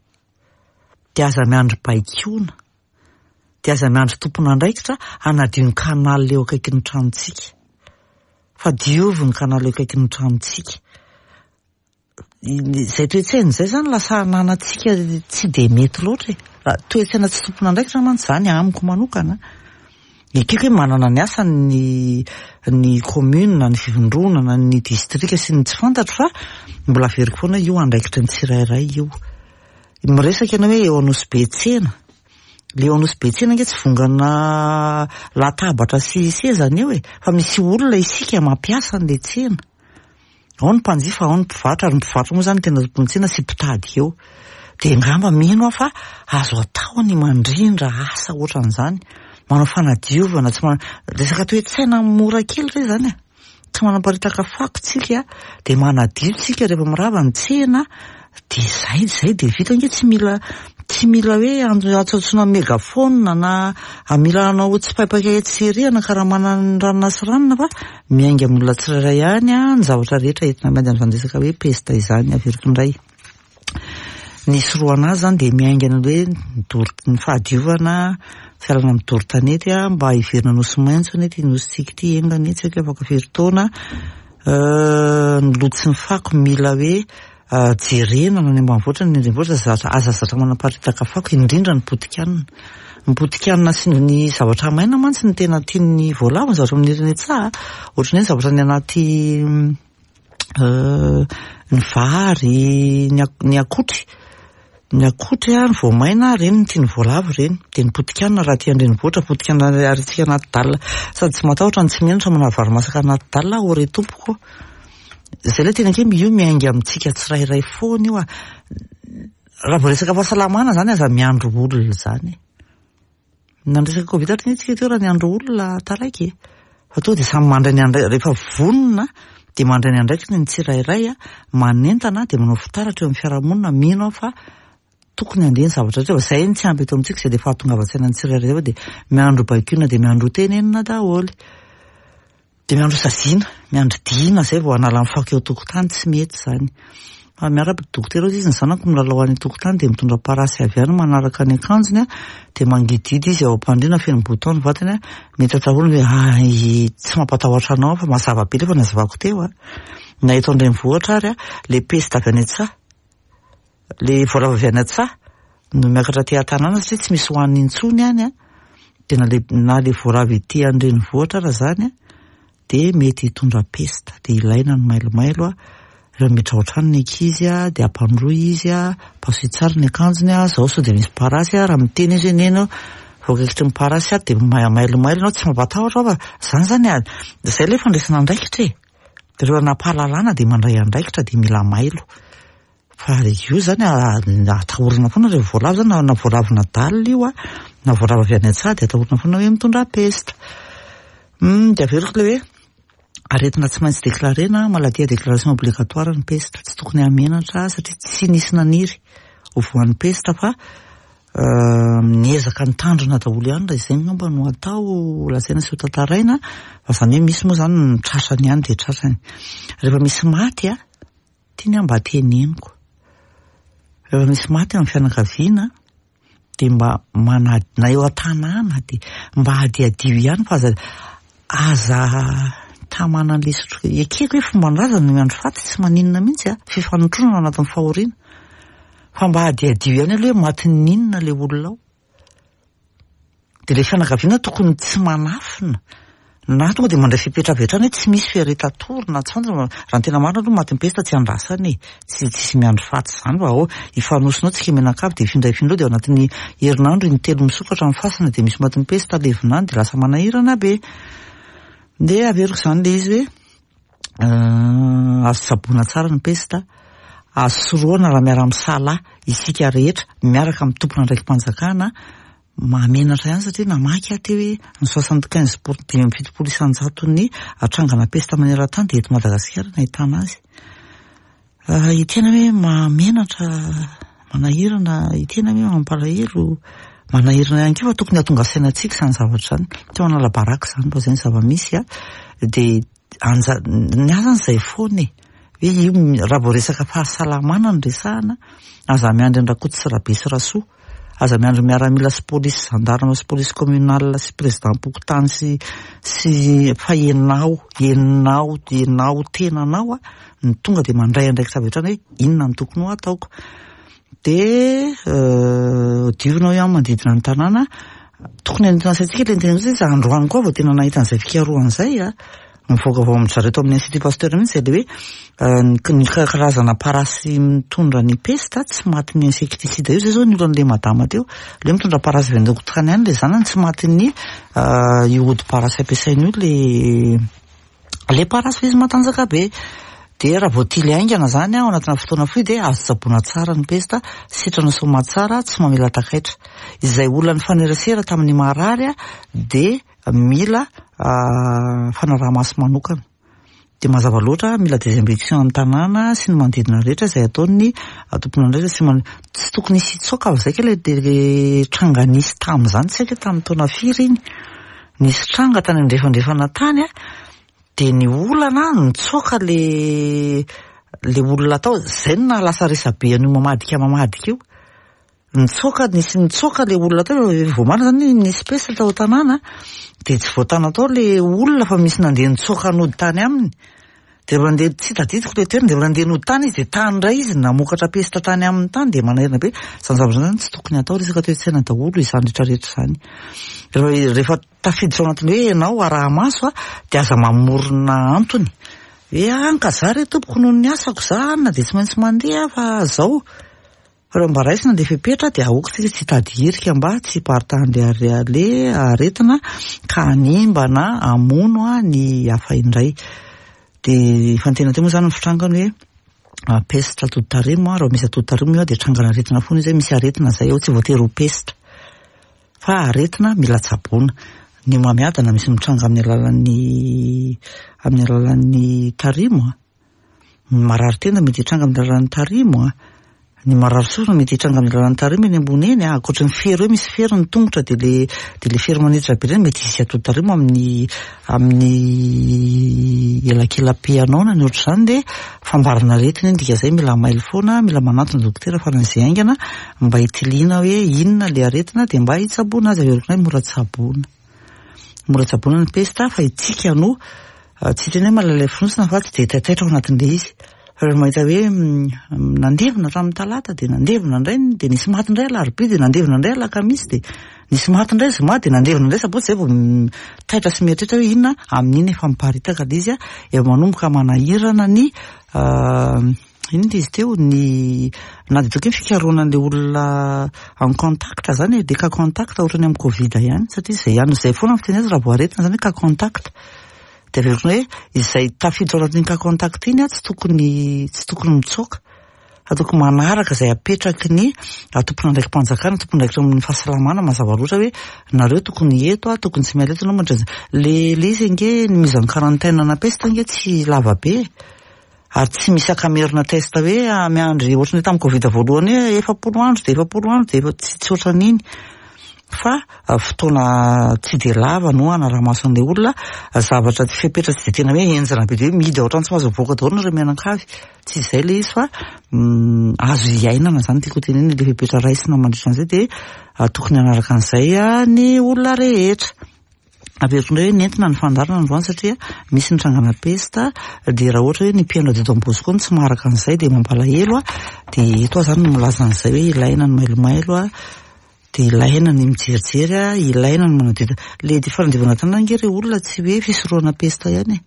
dia aza miandry baikoana, dia aza miandry tompon'andraikitra hanadio ny canal eo akaikin'ny tranontsika. Fa diovy ny canal eo akaikin'ny tranontsika. Izay toe-tsaina izay izany lasa ananantsika tsy dia mety loatra e. Raha toe-tsaina tsy tompon'andraikitra mantsy izany amiko manokana. Ekeko hoe manana ny asany ny ny commune, ny fivondronana, ny distrika sy ny tsy fantatro fa mbola averiko foana hoe io andraikitry ny tsirairay io. Miresaka ianao hoe eo Anosibe tsena. Le eo Anosibe tsena ange tsy vongana latabatra sy seza ny eo e, fa misy olona isika mampiasa an'ilay tsena. Ao ny mpanjifa, ao ny mpivarotra, ary ny mpivarotra moa izany tena tompon'ny tsena sy mpitady eo. Dia angamba mino aho fa azo atao ny mandrindra asa ohatran'izany, manao fanadiovana, tsy manao, resaka toe-tsaina mora kely re izany e. Tsy manaparitaka fako tsika, dia manadio tsika rehefa mirava ny tsena, dia izay, izay dia vita ange, tsy mila, tsy mila hoe antsoantsoina megaphone na mila hanao tsipaipaka etsy sy ery hanakaramana ny ranona sy ranona fa miainga amin'ny olona tsirairay ihany ny zavatra rehetra entina miady amin'izany resaka hoe pesta izany, averiko indray. Ny hisorohana azy izany dia miainga ny hoe ny doro, ny fahadiovana, fialana amin'ny doro tanety mba hiverina nosy maitso anie ity nosintsika ity, enga anie tsy haiko hoe afaka firy taona. Ny loto sy ny fako mila hoe jerena na any ambanivohitra na any an-drenivohitra, zatra, aza zatra manaparitaka fako, indrindra ny potikanina. Ny potikanina sy ny zavatra maina mantsy no tena tian'ny voalavo, ny zavatra maniry any an-tsaha, ohatran'ny hoe ny zavatra any anaty ny vary, ny akotry, ny akotry ny voamaina, ireny no tian'ny voalavo ireny. Dia ny potikanina raha aty an-drenivohitra, potikanina ariantsika anaty dalle, sady tsy matahotra no tsy menatra manary vary masaka anaty dalle aho ry tompoko. Izay ilay tena hoe io miainga amintsika tsirairay foana io. Raha vao resaka fahasalamana izany aza miandry olona izany e. Na ny resaka covid ary tsika teo raha niandry olona taraiky e. Fa tonga dia samy mandray ny andraikiny, rehefa vonona dia mandray ny andraikiny ny tsirairay, manentana dia manao fitaratra eo amin'ny fiarahamonina, mino aho fa tokony handeha ny zavatra rehetra fa izay no tsy ampy eto amintsika izay dia fahatongavan-tsaina ny tsirairay fa dia miandry baikoina dia miandry ho tenenina daholo. Dia miandry ho saziana, miandry dina izay vao hanala ny fako eo an-tokotany, tsy mety izany. Fa miarahaba dokotera hozy izy, ny zanako milalao any an-tokotany dia mitondra parasy avy any manaraka ny akanjony dia mangidihidy izy ao am-pandriana feno bouton ny vatany, mety atahorana hoe hay tsy mampatahotra anao aho fa mazava be ilay efa nazavako teo a. Na eto an-drenivohitra ary ilay peste avy any an-tsaha. Le voalavo avy any an-tsaha no miakatra aty an-tanàna satria tsy misy hohanina intsony any an, dia na le na le voalavo ety an-drenivohitra ara zany an, dia mety hitondra pesta, dia ilaina ny mailomailo an, rehefa miditra ao an-trano ny ankizy an, dia ampandroy izy an, pasoy tsara ny akanjony an, zao sao dia misy parasy an, raha miteny izy hoe neny ô, voakaikitry ny parasy aho dia mailomailo ianao, tsy mampatahotra aho fa zany zany an, zay le fandraisana andraikitra e, dia rehefa nampahalalana dia mandray andraikitra dia mila mailo. Fa io zany atahorana foana ireo voalavo zany na voalavo nadal io a, na voalavo avy any an-tsaha dia atahorana foana hoe mitondra pesta. Dia averiko ilay hoe aretina tsy maintsy déclarena, maladie à déclaration obligatoire ny pesta, tsy tokony hahamenatra satria tsy nisy naniry ho voan'ny pesta fa miezaka mitandrina daholo ihany raha izay angamba no atao lazaina sy ho tantaraina fa izany hoe misy moa izany ny tratrany ihany dia tratrany. Rehefa misy maty a, Tiany aho mba teneniko. Rehefa misy maty amin'ny fianakaviana dia mba manady na eo an-tanàna dia mba hadihadio ihany fa aza aza tamana an'ilay sotro. Ekeko hoe fomban-drazana ny miandry faty tsy maninona mihitsy a, fifanotronana ao anatin'ny fahoriana. Fa mba hadihadio ihany aloha hoe matin'ny inona ilay olona ao. Dia ilay fianakaviana tokony tsy manafina na tonga dia mandray fepetra avy hatrany hoe tsy misy fiaretan-tory na tsy fantatra fa raha ny tena marina aloha matin'ny pesta tsy andrasana e, tsy tsisy miandry faty izany fa ao hifanosona ao tsika mianakavy dia hifindra hifindra ao dia ao anatin'ny herinandro in-telo misokatra ny fasana dia misy matin'ny pesta levona any dia lasa manahirana be. Dia averiko izany ilay izy hoe Azo tsaboina tsara ny pesta, azo sorohana raha miara-misalahy isika rehetra miaraka amin'ny tompon'andraiki-panjakana, mahamenatra ihany satria namaky aho teo hoe ny 75 pour 75 isan-jaton'ny trangana pesta maneran-tany dia eto Madagasikara no ahitana azy. Tena hoe mahamenatra, manahirana, tena hoe mampalahelo, manahirana ihany koa fa tokony hahatonga saina antsika izany zavatra izany. Tsy manala baraka izany fa izay ny zava-misy a. Dia anja- ny ahy izany izay foana e. Hoe io raha vao resaka fahasalamana no resahana, aza miandry an-dRakoto sy Rabe sy Rasoa. Aza miandry miaramila sy polisy gendarme sy polisy communale sy président-pokontany sy sy fa ianao, ianao, ianao tenanao a no tonga dia mandray andraikitra avy hatrany hoe inona no tokony ho ataoko. Dia diovina hoy aho manodidina ny tanàna, tokony hanintona saintsika ilay niteny hoe izy androany koa vao tena nahita an'izay fikarohana izay a. Mivoaka avy ao amin-dry zareo tao amin'ny Institut Pasteur mihitsy izay ilay hoe ny karazana parasy mitondra ny pesta tsy matin'ny insecticide io. Izay izao ny olan'ilay madama teo. Ilay mitondra parasy avy any an-tokotany any ilay zanany tsy matin'ny io ody parasy ampiasainy io ilay ilay parasy fa izy matanjaka be. Dia raha voatily haingana izany ao anatina fotoana fohy dia azo tsaboina tsara ny pesta, sitrana soamatsara, tsy mamela takaitra. Izay olona nifanerasera tamin'ny marary dia mila fanaraha-maso manokana. Dia mazava loatra mila désinfection amin'ny tanàna sy ny manodidina rehetra izay ataon'ny tompon'andraikitra sy man-, tsy tokony hisy hitsoaka avy izay kay ilay tranga nisy tamin'izany, tsy haiko hoe tamin'ny taona firy iny, nisy tranga tany andrefandrefana tany an, dia ny olana nitsoaka le le olona tao, izay no nahalasa resabe an'io mamadika mamadika io. Nitsoaka, nisy nitsoaka le olona teo, vao marina zany nisy peste tao an-tanàna, dia tsy voatana tao le olona fa misy nandeha nitsoaka nody tany aminy. Dia rehefa nandeha, tsy tadidiko le toerana, dia rehefa nandeha nody tany izy dia tany indray izy namokatra peste tany aminy tany, dia manahirana be. Izany zavatra izany zany tsy tokony hatao, resaka toe-tsaina daholo izany rehetra rehetra izany. Rehefa tafiditra ao anatin'ny hoe ianao araha-maso dia aza mamorona antony. Hoe an ka za re tompoko noho ny asako za an dia tsy maintsy mandeha fa zao. Fa raha mba raisina ilay fepetra dia aoka isika tsy hitady hirika mba tsy hiparitahan'ilay aretina ka hanimba na hamono ny hafa indray. Dia efa niteny teo moa izany ny fitrangany hoe peste atoditarimo, raha misy atoditarimo io dia trangana aretina foana izy hoe misy aretina izay ao, tsy voatery ho peste fa aretina mila tsaboina. Ny homamiadana misy mitranga amin'ny alalan'ny amin'ny alalan'ny tarimo. Ny marary tenda mety hitranga amin'ny alalan'ny tarimo a. Ny marary sofina mety hitranga amin'ny alalan'ny tarimo eny ambony eny a. Ankoatry ny fery hoe misy fery ny tongotra dia le dia le fery maniditra be ireny mety hisy atody tarimo amin'ny amin'ny elakela-pe anao na ny ohatr'izany dia fambarana aretina iny dikan'izay mila mailo foana, mila manantona dokotera faran'izay haingana mba hitiliana hoe inona le aretina dia mba hitsaboana azy, averiko indray mora tsaboina. Mora tsaboina ny pesta fa itsika no tsy hiteny hoe malalay fonosana fa tsy dia taitaitra ao anatin'ilay izy. Fa rehefa mahita hoe nandevina hatramin'ny talata dia nandevina indray dia nisy maty indray alarobia dia nandevina indray alakamisy dia nisy maty indray zoma dia nandevina indray sabotsy izay vao taitra sy mieritreritra hoe inona amin'iny efa miparitaka ilay izy efa manomboka manahirana ny Inona izy teo ny na dia toky ny fikarohana an'ilay olona en contact zany e, le cas contact ohatran'ny amin'ny covid ihany satria izay ihany izay foana ny fiteny azy raha vao aretina zany hoe cas contact. Dia averiko hoe izay tafiditra ao anatin'iny cas contact iny tsy tokony tsy tokony mitsoaka fa tokony manaraka izay apetraky ny tompon'andraiki-panjakana, tompon'andraikitra amin'ny fahasalamana mazava loatra hoe nareo tokony eto, tokony tsy miala eto ianao mandritra izay. Le le izy ange ny mise en quarantaine ana peste ange tsy lava be e. Ary tsy misy ankamerina test hoe miandry ohatran'ny tamin'ny covid voalohany hoe 40 andro dia 40 andro dia tsy tsy ohatran'iny fa fotoana tsy dia lava no hanaraha-maso an'ilay olona, zavatra tsy fepetra tsy dia tena hoe henjana be dia hoe mihidy ao an-trano tsy mahazo mivoaka daholo nareo mianakavy, tsy izay ilay izy fa azo iainana izany tiako hotenenina ilay fepetra raisina mandritra an'izay dia tokony hanaraka an'izay ny olona rehetra. Averiko indray hoe nentina ny fandaharana androany satria misy ny trangana pesta dia raha ohatra hoe ny mpihaino radio Don Bosco no tsy maharaka an'izay dia mampalahelo a, dia eto aho izany no milaza an'izay hoe ilaina ny mailomailo a, dia ilaina ny mijerijery a, ilaina ny manadio, le fanadiovana tanana ange ry olona tsy hoe fisorohana pesta ihany e,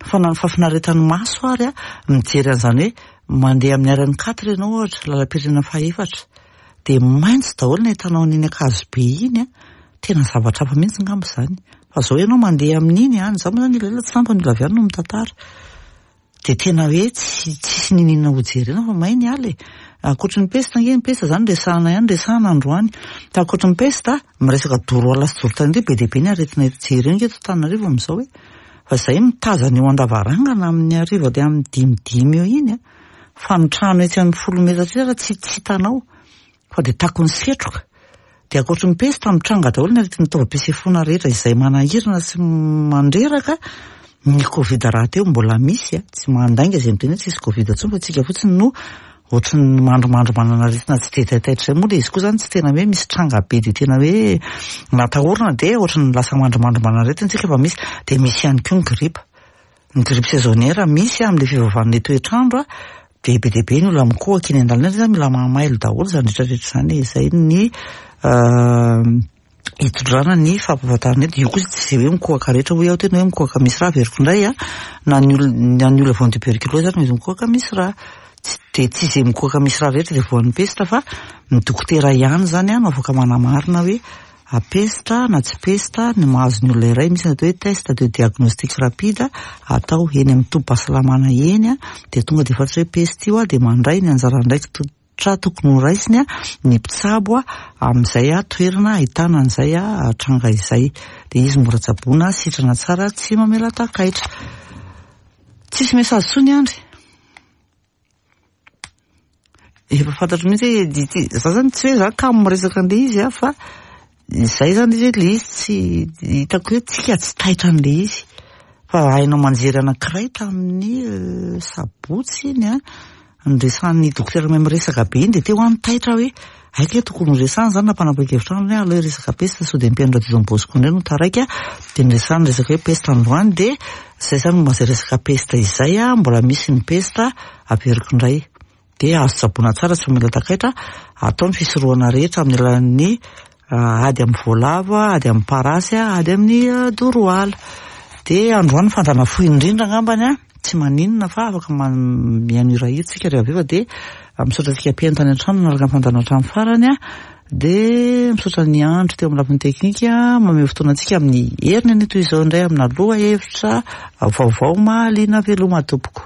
fa na ny fahafinaretan'ny maso ary a, mijery an'izany hoe mandeha amin'ny RN 4 ianao ohatra, lalam-pirenena fahaefatra, dia maitso daholo ny ahitanao an'iny Ankazobe iny a, tena zavatra hafa mihitsy angamba izany. Fa izao ianao mandeha amin'iny any, izaho moa izany elaela tsy lany fa ny olona avy any no mitantara. Dia tena hoe tsy tsisy n'inon'inona ho jerena fa may ny ala e. Ankoatry ny pesta ange, ny pesta izany resahana ihany, resahana androany. Fa ankoatry ny pesta, miresaka doro ala sy doro tany indray, be dia be ny aretina eto. Jereo ange eto Antananarivo amin'izao e. Fa izay mitazana eo an-davarangana amin'ny hariva dia amin'ny dimidimy eo iny a. Fa ny trano etsy amin'ny 10 metatra etsy ary tsy hitanao. Fa dia takon'ny setroka. Dia ankoatry ny pesta, mitranga daholo ny aretin'ny taovam-pisefoana rehetra izay manahirana sy mandreraka. Ny covid rahateo mbola misy a, tsy mandainga izay miteny hoe tsisy covid intsony fa tsika fotsiny no ohatry ny mandrimandry manana aretina tsy dia taitaitra izay. Moa ilay izy koa izany tsy tena hoe misy tranga be dia tena hoe natahorana dia ohatry ny lasa mandrimandry manana aretina tsika fa misy. Dia misy ihany koa ny gripa. Ny grippe saisonnière misy amin'ilay fivavahan'ilay toetr'andro dia be dia be ny olona mikohaka eny an-dalana eny, mila mahamailo daholo izany rehetra rehetra izany e. Izay ny hitondrana ny fampahafantarana eto. Io koa tsy izay hoe mikohaka rehetra hoy aho tena hoe mikohaka misy rà, averiko indray a, na ny olona na ny olona voan'ny tuberculose ary mety mikohaka misy rà. Tsy dia tsy izay mikohaka misy rà rehetra dia voan'ny pesta fa ny dokotera ihany izany no afaka manamarina hoe. Pesta na tsy pesta ny mahazo ny olona iray, misy ny atao hoe test de diagnostic rapide atao eny amin'ny tobim-pahasalamana eny dia tonga dia fantatra hoe pesta io dia mandray ny anjara andraikitra tokony ho raisiny ny mpitsabo amin'izay toerana ahitana an'izay tranga izay. Dia izy mora tsaboina, sitrana tsara, tsy mamela takaitra. Tsisy message intsony Andry. Efa fantatro mihitsy hoe ity, za zany tsy hoe za kamo miresaka an'ilay izy aho fa izay zany izy hoe ilay izy tsy hitako hoe tsika tsy taitra an'ilay izy. Fa haino aman-jery anankiray tamin'ny sabotsy iny an, niresahan'ny dokotera mahay miresaka be iny dia teo aho nitaitra hoe hay kay tokony ho resahana izany nampanapa-kevitra ahy hoe aleo hiresaka peste sao dia ny mpihaino radio Don Bosco indray no taraiky dia niresahana resaka hoe peste androany dia izay izany momba izay resaka peste izay an, mbola misy ny peste averiko indray. Dia azo tsaboina tsara tsy mamela takaitra, atao ny fisorohana rehetra amin'ny alalan'ny ady amin'ny voalavo, ady amin'ny parasy, ady amin'ny doro ala. Dia androany fandrana fohy indrindra angambany an, tsy maninona fa afaka mihaino hirahira tsika rehefa avy eo fa dia misaotra antsika mpihaino tany an-trano nanaraka ny fandaharana hatramin'ny farany an. Dia misaotra ny andro teo amin'ny lafiny teknika mamehy fotoana antsika amin'ny heriny anio toy izao indray amina lohahevitra vaovao mahaliana veloma tompoko.